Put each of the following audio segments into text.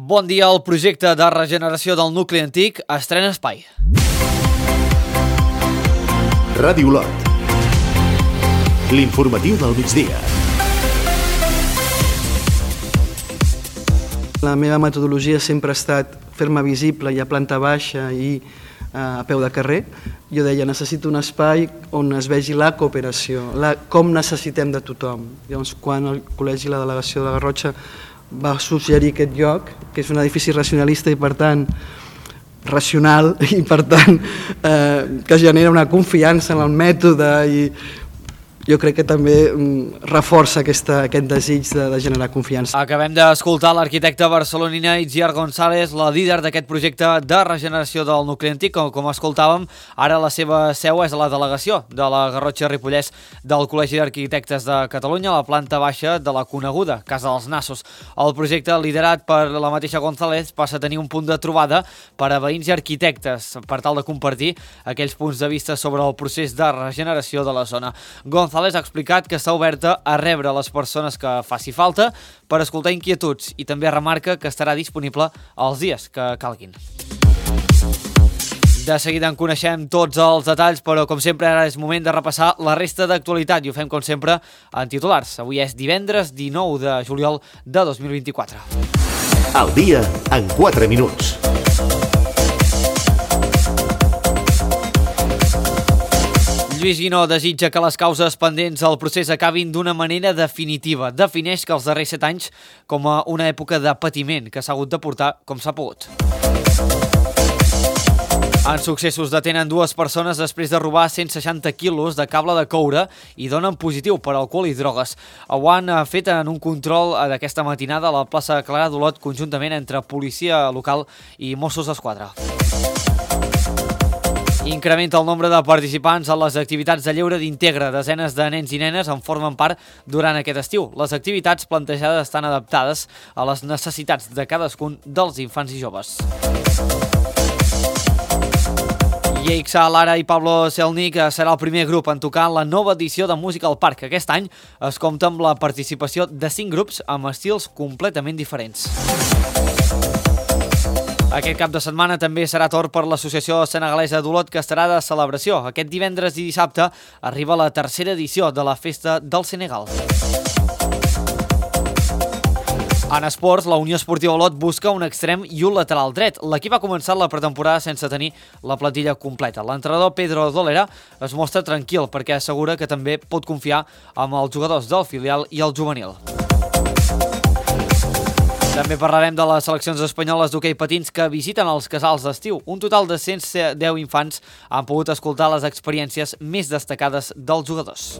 Bon dia, el projecte de regeneració del nucli antic estrena espai. Ràdio Olot. L'informatiu del migdia. La meva metodologia sempre ha estat fer-me visible i a planta baixa i a peu de carrer. Jo deia, necessito un espai on es vegi la cooperació, com necessitem de tothom. Llavors, quan el col·legi, la delegació de la Garrotxa va suggerir aquest lloc, que és un edifici racionalista i per tant racional i per tant que genera una confiança en el mètode i jo crec que també reforça aquest desig de generar confiança. Acabem d'escoltar l'arquitecte barcelonina Itziar González, la líder d'aquest projecte de regeneració del nucli antic. Com escoltàvem, ara la seva seu és a la delegació de la Garrotxa Ripollès del Col·legi d'Arquitectes de Catalunya, a la planta baixa de la coneguda Casa dels Nassos. El projecte, liderat per la mateixa González, passa a tenir un punt de trobada per a veïns i arquitectes, per tal de compartir aquells punts de vista sobre el procés de regeneració de la zona. González ha explicat que està oberta a rebre les persones que faci falta per escoltar inquietuds i també remarca que estarà disponible els dies que calguin. De seguida en coneixem tots els detalls, però com sempre ara és moment de repassar la resta d'actualitat i ho fem com sempre en titulars. Avui és divendres 19 de juliol de 2024. Al dia en 4 minuts. Lluís Guinó desitja que les causes pendents al procés acabin d'una manera definitiva. Defineix que els darrers 7 anys com a una època de patiment que s'ha hagut de portar com s'ha pogut. En Successos detenen 2 persones després de robar 160 quilos de cable de coure i donen positiu per alcohol i drogues. Ho han fet en un control d'aquesta matinada a la plaça Clara d'Olot conjuntament entre policia local i Mossos d'Esquadra. Incrementa el nombre de participants a les activitats de lleure d'Integra. Desenes de nens i nenes en formen part durant aquest estiu. Les activitats plantejades estan adaptades a les necessitats de cadascun dels infants i joves. Yeixa, Lara i Pablo Selnik serà el primer grup en tocar la nova edició de Música al Parc. Aquest any es compta amb la participació de 5 grups amb estils completament diferents. Aquest cap de setmana també serà torn per l'Associació Senegalesa d'Olot, que estarà de celebració. Aquest divendres i dissabte arriba la 3a edició de la Festa del Senegal. En esports, la Unió Esportiva Olot busca un extrem i un lateral dret. L'equip ha començat la pretemporada sense tenir la plantilla completa. L'entrenador Pedro Dolera es mostra tranquil perquè assegura que també pot confiar amb els jugadors del filial i el juvenil. També parlarem de les seleccions espanyoles d'hoquei patins que visiten els casals d'estiu. Un total de 110 infants han pogut escoltar les experiències més destacades dels jugadors.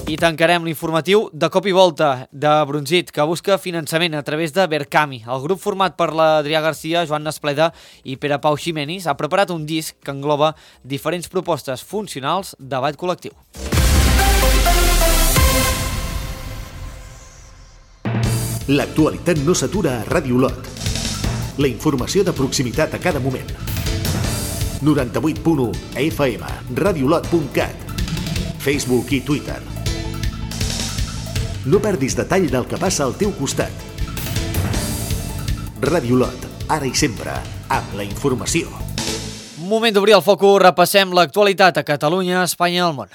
I tancarem l'informatiu de cop i volta de Brunzit, que busca finançament a través de Berkami. El grup format per l'Adrià Garcia, Joan Nespleda i Pere Pau Ximenis ha preparat un disc que engloba diferents propostes funcionals de ball col·lectiu. L'actualitat no s'atura a Ràdio Olot. La informació de proximitat a cada moment. 98.1 FM, radioolot.cat, Facebook i Twitter. No perdis detall del que passa al teu costat. Ràdio Olot, ara i sempre, amb la informació. Moment d'obrir el focus, repassem l'actualitat a Catalunya, Espanya i el món.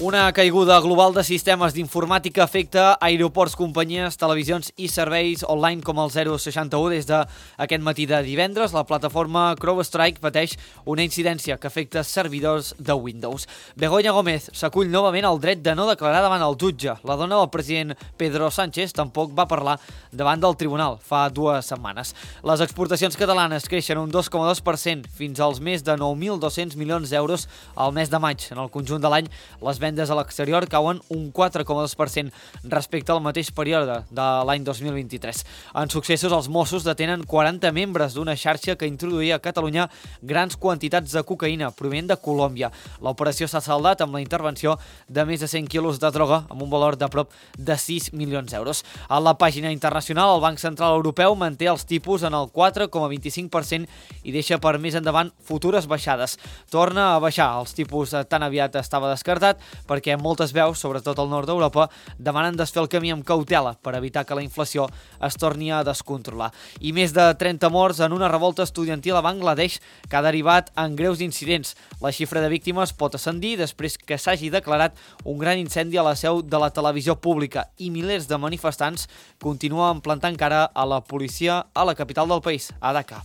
Una caiguda global de sistemes d'informàtica afecta aeroports, companyies, televisions i serveis online com el 061. Des d'aquest matí de divendres, la plataforma CrowdStrike pateix una incidència que afecta servidors de Windows. Begoña Gómez s'acull novament al dret de no declarar davant el jutge. La dona del president Pedro Sánchez tampoc va parlar davant del tribunal fa 2 setmanes. Les exportacions catalanes creixen un 2,2% fins als més de 9.200 milions d'euros al mes de maig. En el conjunt de l'any, les vendes vendes a l'exterior cauen un 4,2% respecte al mateix període de l'any 2023. En successos, els Mossos detenen 40 membres d'una xarxa que introduïa a Catalunya grans quantitats de cocaïna provenent de Colòmbia. L'operació s'ha saldat amb la intervenció de més de 100 quilos de droga amb un valor de prop de 6 milions d'euros. A la pàgina internacional, el Banc Central Europeu manté els tipus en el 4,25% i deixa per més endavant futures baixades. Torna a baixar els tipus tan aviat estava descartat perquè moltes veus, sobretot al nord d'Europa, demanen desfer el camí amb cautela per evitar que la inflació es torni a descontrolar. I més de 30 morts en una revolta estudiantil a Bangladesh que ha derivat en greus incidents. La xifra de víctimes pot ascendir després que s'hagi declarat un gran incendi a la seu de la televisió pública i milers de manifestants continuen plantant cara a la policia a la capital del país, a Dhaka.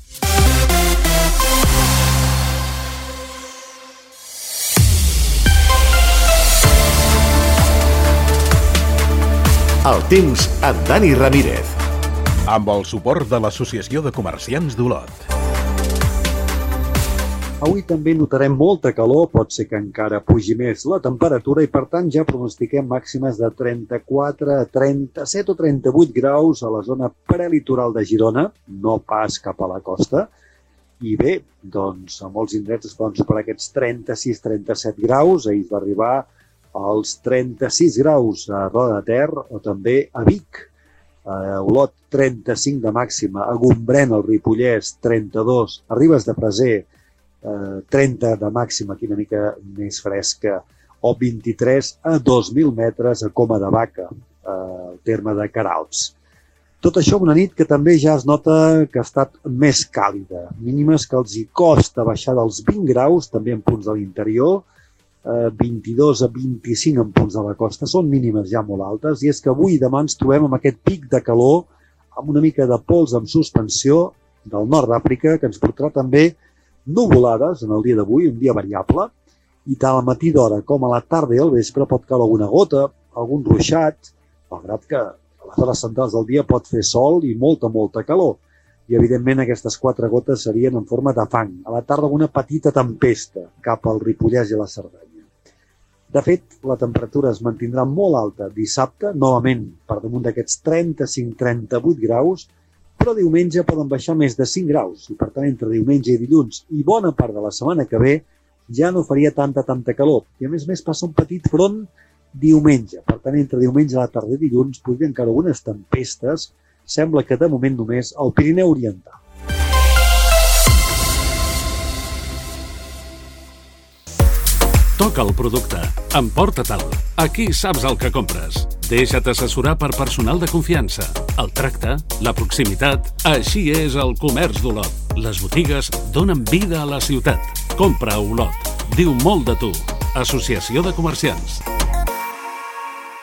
El temps amb Dani Ramírez. Amb el suport de l'Associació de Comerciants d'Olot. Avui també notarem molta calor, pot ser que encara pugi més la temperatura i per tant ja pronostiquem màximes de 34, 37 o 38 graus a la zona prelitoral de Girona, no pas cap a la costa. I bé, doncs a molts indrets es poden superar aquests 36-37 graus, ahir es va arribar als 36 graus a Roda de Ter o també a Vic. A Olot 35 de màxima, a Gombrèn, al Ripollès 32, a Ribes de Freser 30 de màxima, aquí una mica més fresca, o 23 a 2.000 metres a Coma de Vaca, al terme de Queralbs. Tot això una nit que també ja es nota que ha estat més càlida, mínimes que els hi costa baixar dels 20 graus, també en punts de l'interior, 22 a 25 en punts de la costa, són mínimes ja molt altes, i és que avui i demà ens trobem amb aquest pic de calor, amb una mica de pols en suspensió del nord d'Àfrica, que ens portarà també nuvolades en el dia d'avui, un dia variable, i tant al matí d'hora com a la tarda i al vespre pot caure alguna gota, algun ruixat, malgrat que a les hores centrals del dia pot fer sol i molta calor. I evidentment aquestes 4 gotes serien en forma de fang. A la tarda una petita tempesta cap al Ripollès i a la Cerdanya. De fet, la temperatura es mantindrà molt alta dissabte, novament per damunt d'aquests 35-38 graus, però diumenge poden baixar més de 5 graus i per tant entre diumenge i dilluns i bona part de la setmana que ve ja no faria tanta calor. I a més passa un petit front diumenge. Per tant, entre diumenge a la tarda i dilluns podrien caure algunes tempestes, sembla que de moment només al Pirineu Oriental. Toca el producte. Emporta-te'l. Aquí saps el que compres. Deixa't assessorar per personal de confiança. El tracte, la proximitat, així és el comerç d'Olot. Les botigues donen vida a la ciutat. Compra a Olot. Diu molt de tu. Associació de Comerciants.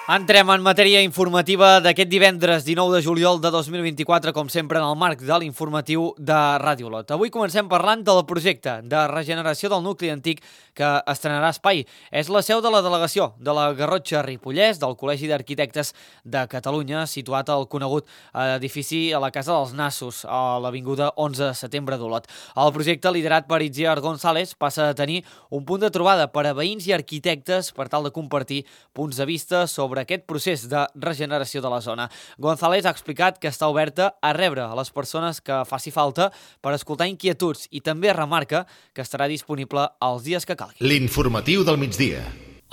Entrem en matèria informativa d'aquest divendres 19 de juliol de 2024, com sempre en el marc de l'informatiu de Ràdio Olot. Avui comencem parlant del projecte de regeneració del nucli antic que estrenarà espai. És la seu de la delegació de la Garrotxa Ripollès del Col·legi d'Arquitectes de Catalunya, situat al conegut edifici a la Casa dels Nassos, a l'avinguda 11 de setembre d'Olot. El projecte, liderat per Itziar González, passa a tenir un punt de trobada per a veïns i arquitectes per tal de compartir punts de vista sobre aquest procés de regeneració de la zona. González ha explicat que està oberta a rebre a les persones que faci falta per escoltar inquietuds i també remarca que estarà disponible els dies que calgui. L'informatiu del migdia.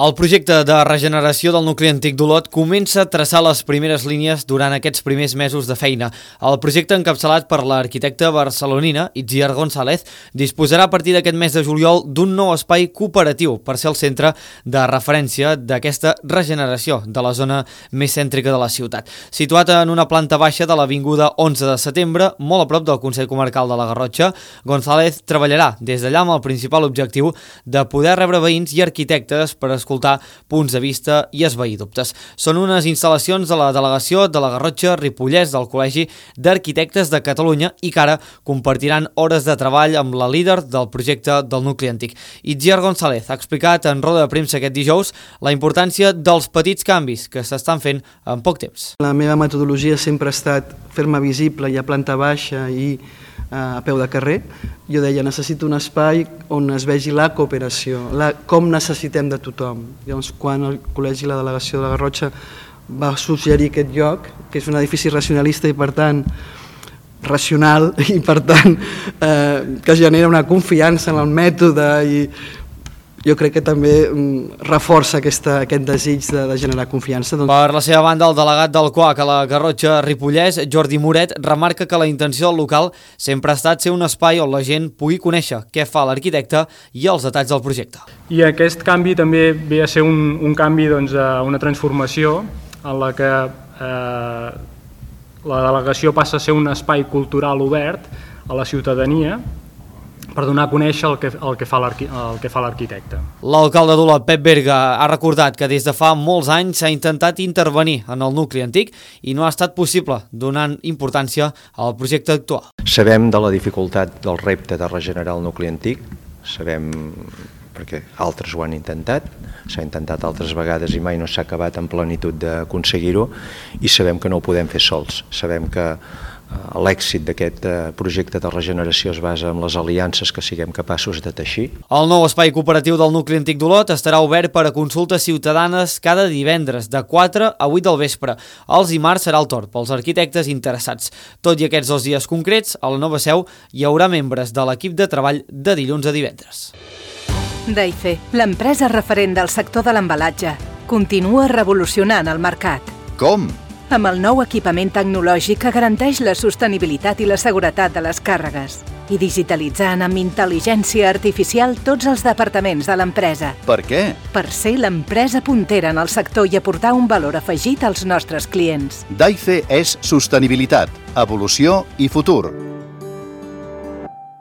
El projecte de regeneració del nucli antic d'Olot comença a traçar les primeres línies durant aquests primers mesos de feina. El projecte, encapçalat per l'arquitecta barcelonina Itziar González, disposarà a partir d'aquest mes de juliol d'un nou espai cooperatiu per ser el centre de referència d'aquesta regeneració de la zona més cèntrica de la ciutat. Situat en una planta baixa de l'avinguda 11 de setembre, molt a prop del Consell Comarcal de la Garrotxa, González treballarà des d'allà amb el principal objectiu de poder rebre veïns i arquitectes per escoltar punts de vista i esvair dubtes. Són unes instal·lacions de la delegació de la Garrotxa Ripollès del Col·legi d'Arquitectes de Catalunya i que ara compartiran hores de treball amb la líder del projecte del nucli antic. Itziar González ha explicat en roda de premsa aquest dijous la importància dels petits canvis que s'estan fent en poc temps. La meva metodologia sempre ha estat fer-me visible i a planta baixa i a peu de carrer. Jo deia, necessito un espai on es vegi la cooperació, com necessitem de tothom. Llavors, quan el col·legi, la delegació de la Garrotxa va suggerir aquest lloc, que és un edifici racionalista i per tant racional i per tant que genera una confiança en el mètode, i jo crec que també reforça aquest desig de generar confiança. Per la seva banda, el delegat del CUAC a la Garrotxa Ripollès, Jordi Moret, remarca que la intenció del local sempre ha estat ser un espai on la gent pugui conèixer què fa l'arquitecte i els detalls del projecte. I aquest canvi també ve a ser un canvi, una transformació en la que la delegació passa a ser un espai cultural obert a la ciutadania per donar a conèixer el que fa l'arquitecte. L'alcalde d'Olot, Pep Berga, ha recordat que des de fa molts anys s'ha intentat intervenir en el nucli antic i no ha estat possible, donant importància al projecte actual. Sabem de la dificultat del repte de regenerar el nucli antic, sabem perquè altres ho han intentat, s'ha intentat altres vegades i mai no s'ha acabat en plenitud d'aconseguir-ho, i sabem que no ho podem fer sols. Sabem que l'èxit d'aquest projecte de regeneració es basa en les aliances que siguem capaços de teixir. El nou espai cooperatiu del nucli antic d'Olot estarà obert per a consultes ciutadanes cada divendres de 4 a 8 del vespre. Els dimarts serà el torn pels arquitectes interessats. Tot i aquests 2 dies concrets, a la nova seu hi haurà membres de l'equip de treball de dilluns a divendres. Daife, l'empresa referent del sector de l'embalatge, continua revolucionant el mercat. Com? Amb el nou equipament tecnològic que garanteix la sostenibilitat i la seguretat de les càrregues i digitalitzant amb intel·ligència artificial tots els departaments de l'empresa. Per què? Per ser l'empresa puntera en el sector i aportar un valor afegit als nostres clients. Daife és sostenibilitat, evolució i futur.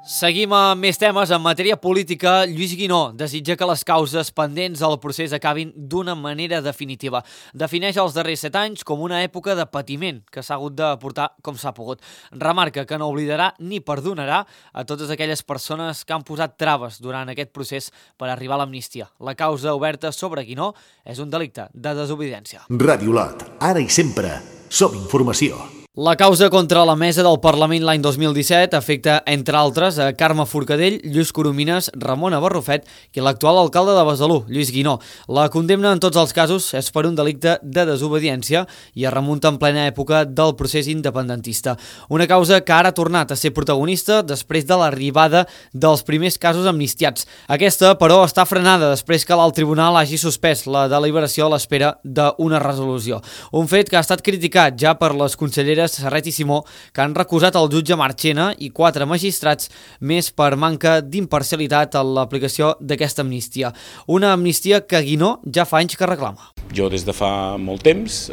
Seguim amb més temes. En matèria política, Lluís Guinó desitja que les causes pendents al procés acabin d'una manera definitiva. Defineix els darrers 7 anys com una època de patiment que s'ha hagut de portar com s'ha pogut. Remarca que no oblidarà ni perdonarà a totes aquelles persones que han posat traves durant aquest procés per arribar a l'amnistia. La causa oberta sobre Guinó és un delicte de desobediència. Ràdio Olot, ara i sempre, som informació. La causa contra la mesa del Parlament l'any 2017 afecta, entre altres, a Carme Forcadell, Lluís Coromines, Ramona Barrufet i l'actual alcalde de Besalú, Lluís Guinó. La condemna en tots els casos és per un delicte de desobediència i es remunta en plena època del procés independentista. Una causa que ara ha tornat a ser protagonista després de l'arribada dels primers casos amnistiats. Aquesta, però, està frenada després que l'alt tribunal hagi suspès la deliberació a l'espera d'una resolució. Un fet que ha estat criticat ja per les conselleres Serret i Simó, que han recusat el jutge Marchena i 4 magistrats més per manca d'imparcialitat en l'aplicació d'aquesta amnistia. Una amnistia que Guinó ja fa anys que reclama. Jo des de fa molt temps,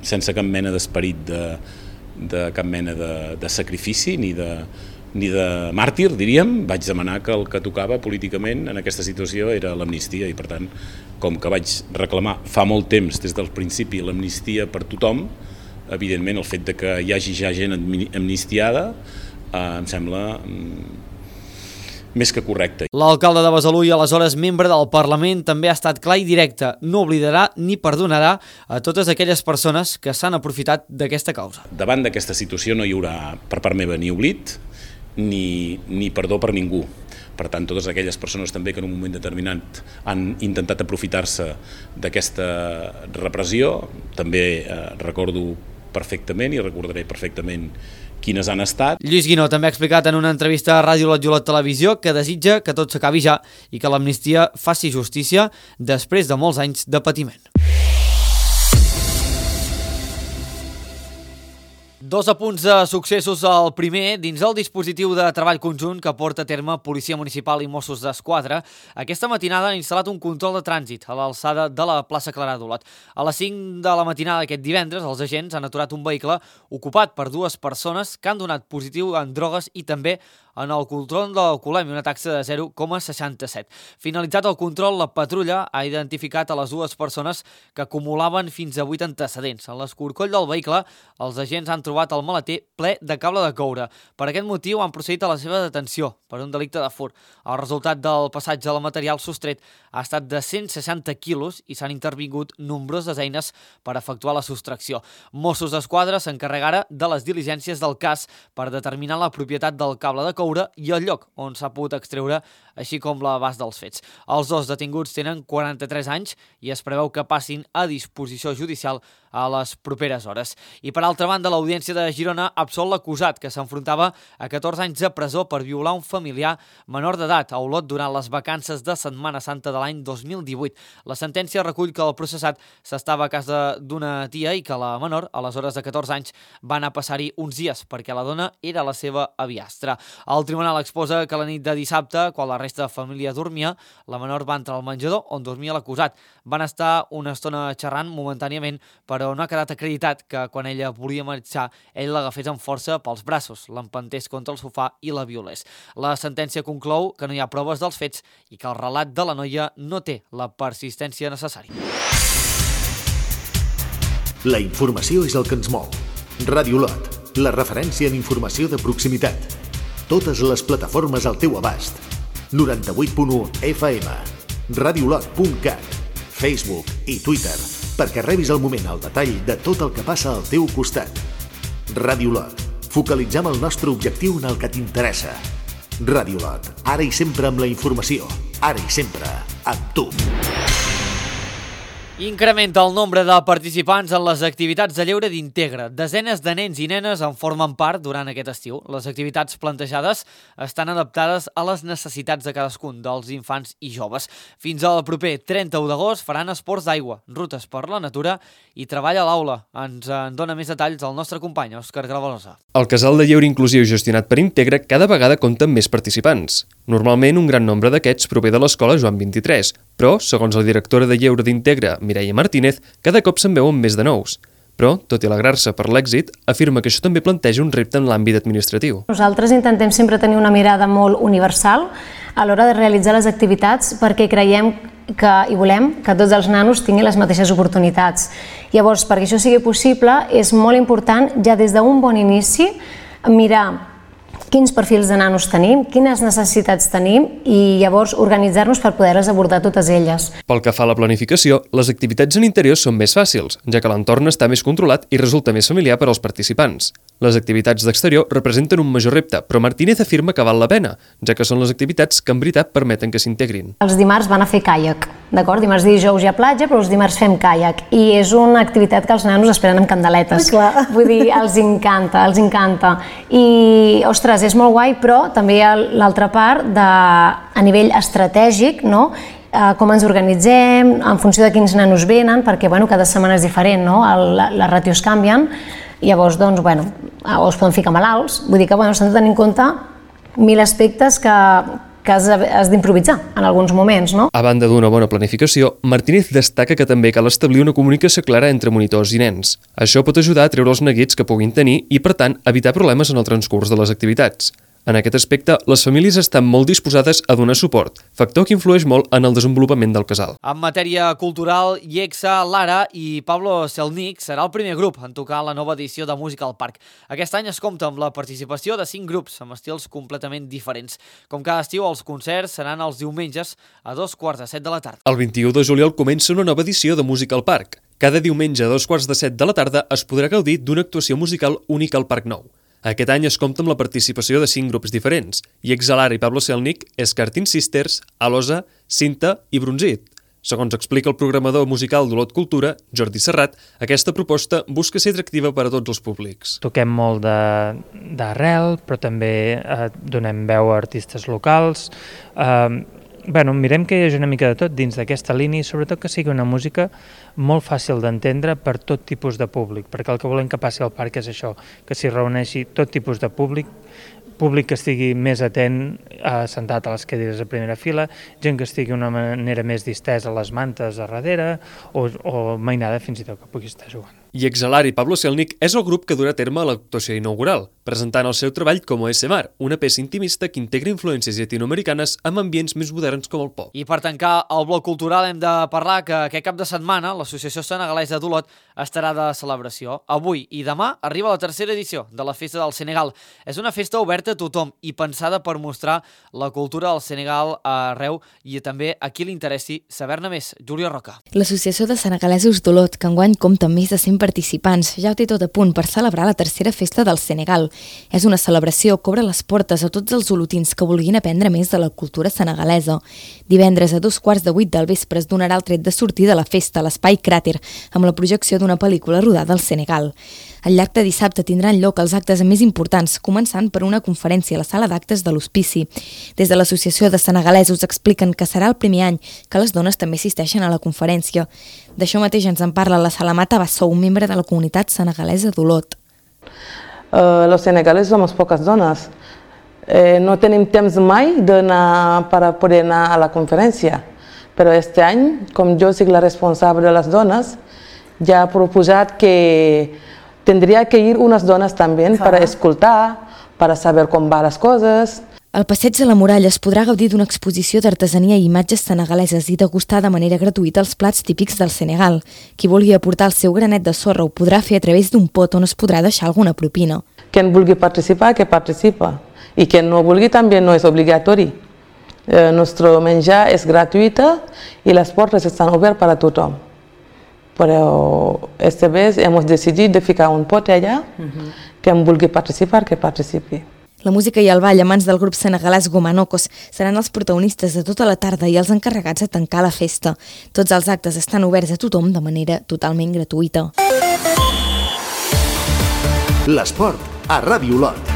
sense cap mena d'esperit de cap mena de sacrifici ni de màrtir, diríem, vaig demanar que el que tocava políticament en aquesta situació era l'amnistia i, per tant, com que vaig reclamar fa molt temps, des del principi, l'amnistia per tothom, evidentment el fet de que hi hagi ja gent amnistiada em sembla més que correcte. L'alcalde de Besalú i aleshores membre del Parlament també ha estat clar i directe. No oblidarà ni perdonarà a totes aquelles persones que s'han aprofitat d'aquesta causa. Davant d'aquesta situació no hi haurà per part meva ni oblit ni perdó per ningú. Per tant, totes aquelles persones també que en un moment determinat han intentat aprofitar-se d'aquesta repressió, també recordo perfectament i recordaré perfectament quines han estat. Lluís Guinó també ha explicat en una entrevista a Ràdio Olot Televisió que desitja que tot s'acabi ja i que l'amnistia faci justícia després de molts anys de patiment. 2 apunts de successos. El primer, dins el dispositiu de treball conjunt que porta a terme Policia Municipal i Mossos d'Esquadra, aquesta matinada han instal·lat un control de trànsit a l'alçada de la plaça Clarà d'Olot. A les 5 de la matinada d'aquest divendres, els agents han aturat un vehicle ocupat per 2 persones que han donat positiu en drogues i també en el control de l'alcoholèmia, una taxa de 0,67. Finalitzat el control, la patrulla ha identificat a les dues persones que acumulaven fins a 8 antecedents. En l'escorcoll del vehicle, els agents han trobat el maleter ple de cable de coure. Per aquest motiu han procedit a la seva detenció per un delicte de furt. El resultat del passatge del material sostret ha estat de 160 quilos i s'han intervingut nombroses eines per efectuar la sostracció. Mossos d'Esquadra s'encarregara de les diligències del cas per determinar la propietat del cable de coure i el lloc on s'ha pogut extreure, així com l'abast dels fets. Els dos detinguts tenen 43 anys i es preveu que passin a disposició judicial a les properes hores. I per altra banda, l'Audiència de Girona absol l'acusat, que s'enfrontava a 14 anys de presó per violar un familiar menor d'edat a Olot durant les vacances de Setmana Santa de l'any 2018. La sentència recull que el processat s'estava a casa d'una tia i que la menor, aleshores de 14 anys, va anar a passar-hi uns dies perquè la dona era la seva aviastra. El tribunal exposa que la nit de dissabte, quan la resta de família dormia, la menor va entrar al menjador on dormia l'acusat. Van estar una estona xerrant momentàniament, però no ha quedat acreditat que quan ella volia marxar, ell l'agafés amb força pels braços, l'empentés contra el sofà i la violés. La sentència conclou que no hi ha proves dels fets i que el relat de la noia no té la persistència necessària. La informació és el que ens mou. Ràdio Olot, la referència en informació de proximitat. Totes les plataformes al teu abast. 98.1 FM, radiolot.cat, Facebook i Twitter, perquè rebis al moment el detall de tot el que passa al teu costat. Ràdio Olot, focalitzem el nostre objectiu en el que t'interessa. Ràdio Olot, ara i sempre amb la informació, ara i sempre amb tu. Incrementa el nombre de participants en les activitats de lleure d'Integra. Desenes de nens i nenes en formen part durant aquest estiu. Les activitats plantejades estan adaptades a les necessitats de cadascun dels infants i joves. Fins al proper 31 d'agost faran esports d'aigua, rutes per la natura i treball a l'aula. Ens en dona més detalls el nostre company, Òscar Gravalosa. El casal de lleure inclusiu gestionat per Integra cada vegada compta amb més participants. Normalment, un gran nombre d'aquests prové de l'escola Joan 23, però, segons la directora de lleure d'Integra, Mireia Martínez, cada cop se'n veuen més de nous. Però, tot i alegrar-se per l'èxit, afirma que això també planteja un repte en l'àmbit administratiu. Nosaltres intentem sempre tenir una mirada molt universal a l'hora de realitzar les activitats perquè creiem i volem que tots els nanos tinguin les mateixes oportunitats. Llavors, perquè això sigui possible, és molt important ja des d'un bon inici mirar quins perfils de nanos tenim, quines necessitats tenim i llavors organitzar-nos per poder-les abordar totes elles. Pel que fa a la planificació, les activitats en interior són més fàcils, ja que l'entorn està més controlat i resulta més familiar per als participants. Les activitats d'exterior representen un major repte, però Martínez afirma que val la pena, ja que són les activitats que en veritat permeten que s'integrin. Els dimarts van a fer caiac, d'acord? Dimarts i dijous hi ha platja, però els dimarts fem caiac i és una activitat que els nanos esperen amb candeletes. Vull dir, els encanta, els encanta. I, ostres, és molt guai, però també hi ha l'altra part a nivell estratègic, no? Com ens organitzem, en funció de quins nanos venen, perquè cada setmana és diferent, no? Les ràtios canvien. Llavors, doncs, o es poden ficar malalts, vull dir que s'han de tenir en compte 1000 aspectes que has d'improvisar en alguns moments, no? A banda d'una bona planificació, Martínez destaca que també cal establir una comunicació clara entre monitors i nens. Això pot ajudar a treure els neguits que puguin tenir i, per tant, evitar problemes en el transcurs de les activitats. En aquest aspecte, les famílies estan molt disposades a donar suport, factor que influeix molt en el desenvolupament del casal. En matèria cultural, IEXA, Lara i Pablo Selnik serà el primer grup en tocar la nova edició de Música al Parc. Aquest any es compta amb la participació de 5 grups amb estils completament diferents. Com cada estiu, els concerts seran els diumenges a 7:15 de la tarda. El 21 de juliol comença una nova edició de Música al Parc. Cada diumenge a 7:15 de la tarda es podrà gaudir d'una actuació musical única al Parc Nou. Aquest any es compta amb la participació de 5 grups diferents, IEXA, Lara i Pablo Selnik, Escartin Sisters, Alosa, Cinta i Bronzit. Segons explica el programador musical d'Olot Cultura, Jordi Serrat, aquesta proposta busca ser atractiva per a tots els públics. Toquem molt d'arrel, però també donem veu a artistes locals. Mirem que hi hagi una mica de tot dins d'aquesta línia i sobretot que sigui una música molt fàcil d'entendre per tot tipus de públic, perquè el que volem que passi al parc és això, que s'hi reuneixi tot tipus de públic que estigui més atent, sentat a les cadires a primera fila, gent que estigui d'una manera més distesa a les mantes a darrere o mainada fins i tot que pugui estar jugant. I Exhalar i Pablo Selnik és el grup que durà a terme l'actuació inaugural, presentant el seu treball com ASMR, una peça intimista que integra influències llatinoamericanes amb ambients més moderns com el pop. I per tancar el bloc cultural hem de parlar que aquest cap de setmana l'Associació Senegalesa d'Olot estarà de celebració. Avui i demà arriba la tercera edició de la Festa del Senegal. És una festa oberta a tothom i pensada per mostrar la cultura del Senegal arreu i també a qui li interessi saber-ne més. Júlia Roca. L'Associació de Senegalesos d'Olot, que enguany compta amb més de 100 participants, ja ho té tot a punt per celebrar la tercera Festa del Senegal. És una celebració que obre les portes a tots els olotins que vulguin aprendre més de la cultura senegalesa. Divendres a 7:15 del vespre es donarà el tret de sortida a la festa a l'Espai Cràter, amb la projecció d'una pel·lícula rodada al Senegal. Al llarg de dissabte tindran lloc els actes més importants, començant per una conferència a la sala d'actes de l'Hospici. Des de l'Associació de Senegalesos expliquen que serà el primer any que les dones també assisteixen a la conferència. D'això mateix ens en parla la Salamata Bassou, membre de la comunitat senegalesa d'Olot. Los senegaleses somos pocas donas. No tenim temps mai per poder anar a la conferència, però este any, com jo soc la responsable de les dones, ja he proposat que tindria que ir unes dones també per escoltar, per saber com van les coses. Al Passeig de la Muralla es podrà gaudir d'una exposició d'artesania i imatges senegaleses i degustar de manera gratuïta els plats típics del Senegal. Qui vulgui aportar el seu granet de sorra ho podrà fer a través d'un pot on es podrà deixar alguna propina. Qui vulgui participar, que participa. I qui no vulgui també no és obligatori. El nostre menjar és gratuït i les portes estan obertes per a tothom. Però esta vez hemos decidit de ficar un pot allà, que vulgui participar, que participi. La música i el ball a mans del grup senegalès Gomanocos seran els protagonistes de tota la tarda i els encarregats de tancar la festa. Tots els actes estan oberts a tothom de manera totalment gratuïta. L'esport a Ràdio Olot.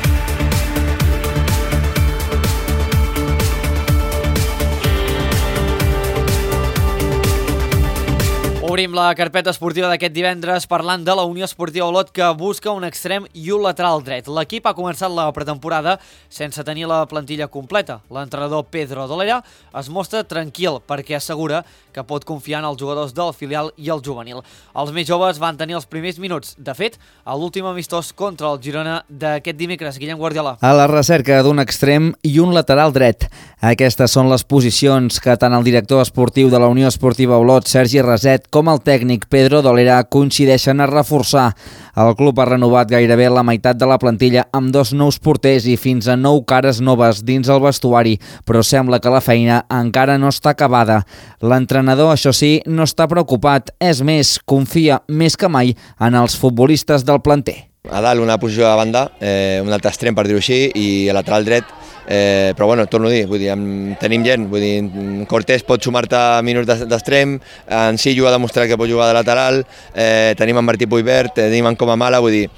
Obrim la carpeta esportiva d'aquest divendres parlant de la Unió Esportiva Olot, que busca un extrem i un lateral dret. L'equip ha començat la pretemporada sense tenir la plantilla completa. L'entrenador Pedro Dolera es mostra tranquil perquè assegura que pot confiar en els jugadors del filial i el juvenil. Els més joves van tenir els primers minuts. De fet, a l'últim amistós contra el Girona d'aquest dimecres. Guillem Guardiola. A la recerca d'un extrem i un lateral dret. Aquestes són les posicions que tant el director esportiu de la Unió Esportiva Olot, Sergi Raset, com el tècnic Pedro Dolera coincideixen a reforçar. El club ha renovat gairebé la meitat de la plantilla amb 2 nous porters i fins a 9 cares noves dins el vestuari, però sembla que la feina encara no està acabada. L'entrenador, això sí, no està preocupat, és més, confia més que mai en els futbolistes del planter. A dalt una posició de banda, un altre extrem per dir-ho així, i a lateral dret, però bueno, torno a dir, vull dir, tenim gent, vull dir, Cortés pot sumar-te minuts d'extrem, en Sillo ha demostrat que pot jugar de lateral, tenim en Martí Puibert, tenim en Comamala, vull dir,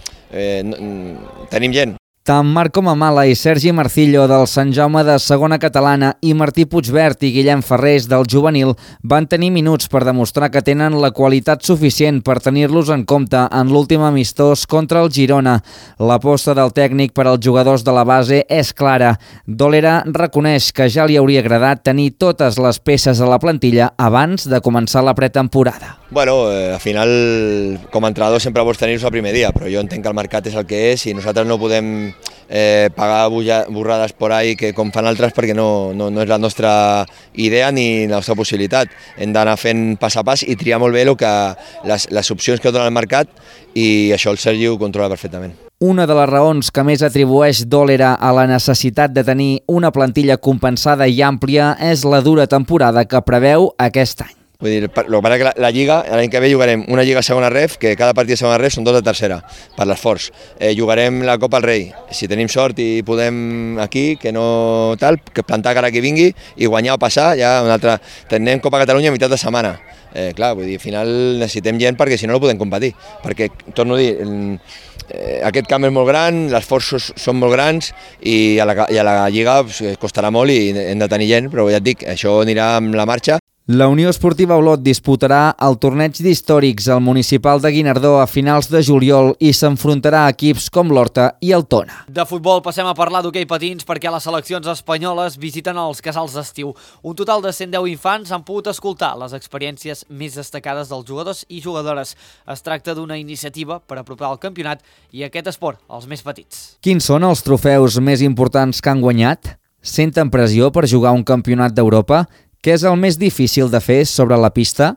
tenim gent. Tant Marc Comamala i Sergi Marcillo del Sant Jaume de Segona Catalana i Martí Puigvert i Guillem Ferrés del Juvenil van tenir minuts per demostrar que tenen la qualitat suficient per tenir-los en compte en l'últim amistós contra el Girona. L'aposta del tècnic per als jugadors de la base és clara. Dolera reconeix que ja li hauria agradat tenir totes les peces a la plantilla abans de començar la pretemporada. Bueno, al final, com a entrenador sempre vols tenir-los el primer dia, però jo entenc que el mercat és el que és i nosaltres no podem pagar borrades por ahí que com fan altres perquè no és la nostra idea ni la nostra possibilitat. Hem d'anar fent pas a pas i triar molt bé les opcions que dona el mercat i això el Sergi ho controla perfectament. Una de les raons que més atribueix Dolera a la necessitat de tenir una plantilla compensada i àmplia és la dura temporada que preveu aquest any. Vull dir, el que passa és que la Lliga, l'any que ve jugarem una Lliga segona ref, que cada partit de segona ref són 2 de tercera, per l'esforç. Jugarem la Copa al Rei, si tenim sort i podem aquí, que no tal, que plantar cara qui vingui i guanyar o passar, ja una altra. Tenim Copa Catalunya a meitat de setmana. Clar, vull dir, al final necessitem gent perquè si no podem competir, perquè, torno a dir, aquest camp és molt gran, els esforços són molt grans i a la Lliga costarà molt i hem de tenir gent, però ja et dic, això anirà amb la marxa. La Unió Esportiva Olot disputarà el torneig d'històrics al municipal de Guinardó a finals de juliol i s'enfrontarà a equips com l'Horta i el Tona. De futbol passem a parlar d'hoquei patins perquè les seleccions espanyoles visiten els casals d'estiu. Un total de 110 infants han pogut escoltar les experiències més destacades dels jugadors i jugadores. Es tracta d'una iniciativa per apropar el campionat i aquest esport als més petits. Quins són els trofeus més importants que han guanyat? Senten pressió per jugar un campionat d'Europa? Què és el més difícil de fer sobre la pista?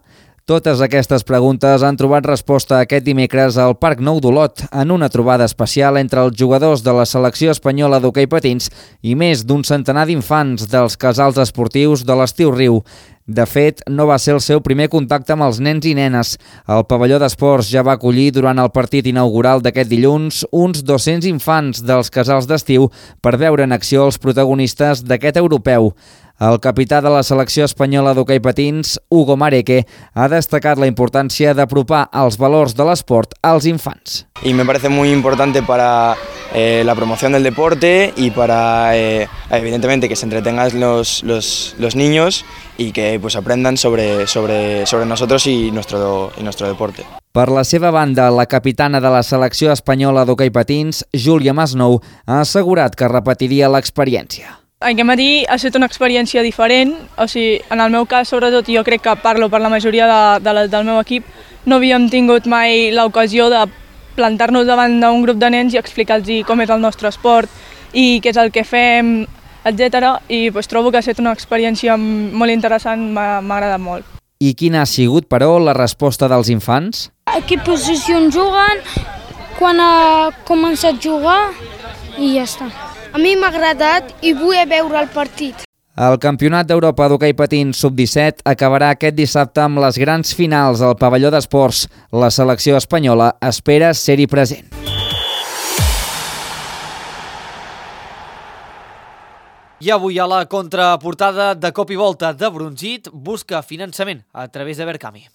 Totes aquestes preguntes han trobat resposta aquest dimecres al Parc Nou d'Olot en una trobada especial entre els jugadors de la selecció espanyola d'hoquei patins i més d'un centenar d'infants dels casals esportius de l'Estiu Riu. De fet, no va ser el seu primer contacte amb els nens i nenes. El pavelló d'esports ja va acollir durant el partit inaugural d'aquest dilluns uns 200 infants dels casals d'estiu per veure en acció els protagonistes d'aquest europeu. El capità de la selecció espanyola d'hoquei patins, Hugo Mareque, ha destacat la importància d'apropar els valors de l'esport als infants. Y me parece muy importante para la promoción del deporte y para, evidentemente, que se entretengan los niños y que pues aprendan sobre nosotros y nuestro deporte. Per la seva banda, la capitana de la selecció espanyola d'hoquei patins, Júlia Masnou, ha assegurat que repetiria l'experiència. Aquest matí ha estat una experiència diferent, o sigui, en el meu cas, sobretot, jo crec que parlo per la majoria del meu equip, no havíem tingut mai l'ocasió de plantar-nos davant d'un grup de nens i explicar-los com és el nostre esport i què és el que fem, etc. I trobo que ha estat una experiència molt interessant, m'ha agradat molt. I quina ha sigut, però, la resposta dels infants? A quina posició juguen, quan ha començat a jugar i ja està. A mi m'ha agradat i vull veure el partit. El Campionat d'Europa d'hoquei patins sub-17 acabarà aquest dissabte amb les grans finals al pavelló d'esports. La selecció espanyola espera ser-hi present. I avui a la contraportada de Cop i Volta de Brunzit busca finançament a través de Verkami.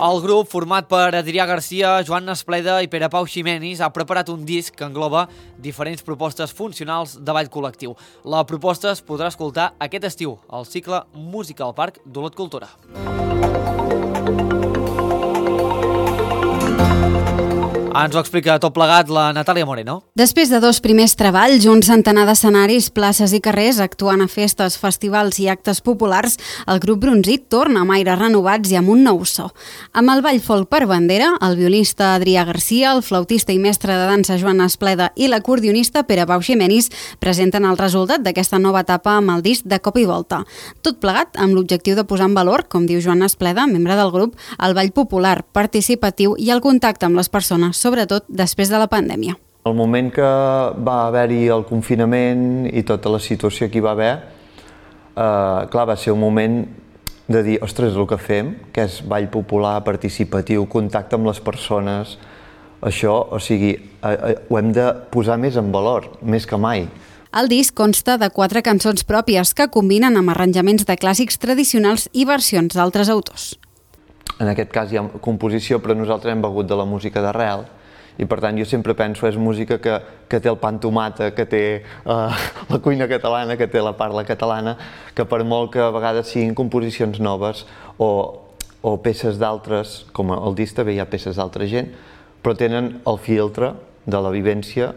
El grup, format per Adrià Garcia, Joan Espleda i Pere Pau Ximenis, ha preparat un disc que engloba diferents propostes funcionals de ball col·lectiu. La proposta es podrà escoltar aquest estiu al cicle Música al Parc d'Olot Cultura. Ens ho explica tot plegat la Natàlia Moreno. Després de 2 primers treballs, un centenar d'escenaris, places i carrers, actuant a festes, festivals i actes populars, el grup Brunzit torna amb aires renovats i amb un nou so. Amb el ball folk per bandera, el violista Adrià Garcia, el flautista i mestre de dansa Joan Espleda i l'acordionista Pere Pau Ximenis presenten el resultat d'aquesta nova etapa amb el disc de Cop i Volta. Tot plegat amb l'objectiu de posar en valor, com diu Joan Espleda, membre del grup, el ball popular, participatiu i el contacte amb les persones, sobretot després de la pandèmia. El moment que va haver-hi el confinament i tota la situació que hi va haver, clar, va ser un moment de dir, ostres, el que fem, que és ball popular, participatiu, contacte amb les persones, això, o sigui, ho hem de posar més en valor, més que mai. El disc consta de 4 cançons pròpies que combinen amb arranjaments de clàssics tradicionals i versions d'altres autors. En aquest cas hi ha composició, però nosaltres hem begut de la música d'arrel i per tant jo sempre penso és música que té el pa amb tomata, que té la cuina catalana, que té la parla catalana, que per molt que a vegades siguin composicions noves o peces d'altres, com el disc també hi ha peces d'altra gent, però tenen el filtre de la vivència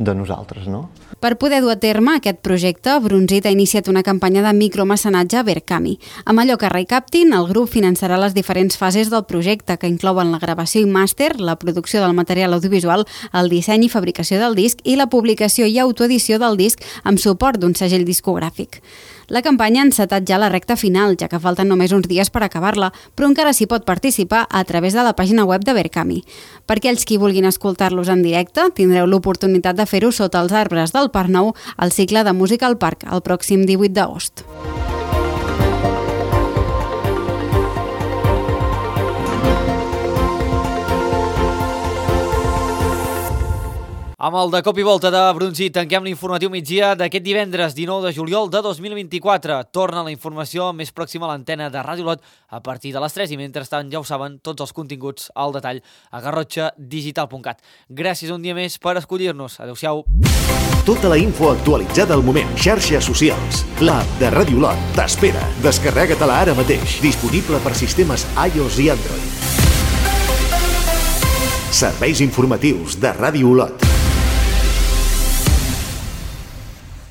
de nosaltres, no? Per poder dur a terme aquest projecte, Brunzit ha iniciat una campanya de micromecenatge a Verkami. Amb allò que recaptin, el grup finançarà les diferents fases del projecte, que inclouen la gravació i màster, la producció del material audiovisual, el disseny i fabricació del disc i la publicació i autoedició del disc amb suport d'un segell discogràfic. La campanya ha encetat ja la recta final, ja que falten només uns dies per acabar-la, però encara s'hi pot participar a través de la pàgina web de Verkami. Per aquells qui vulguin escoltar-los en directe, tindreu l'oportunitat de fer-ho sota els arbres del Parc Nou al cicle de Música al Parc, el pròxim 18 d'agost. Amb el de cop i volta de Brunzit tanquem l'informatiu migdia d'aquest divendres 19 de juliol de 2024. Torna la informació més pròxima a l'antena de Ràdio Olot a partir de les 3 i mentrestant ja ho saben tots els continguts al detall a garrotxadigital.cat. Gràcies un dia més per escollir-nos. Adéu-siau. Tota la info actualitzada al moment. Xarxes socials. L'app de Ràdio Olot t'espera. Descarrega-te-la ara mateix. Disponible per sistemes iOS i Android. Serveis informatius de Ràdio Olot.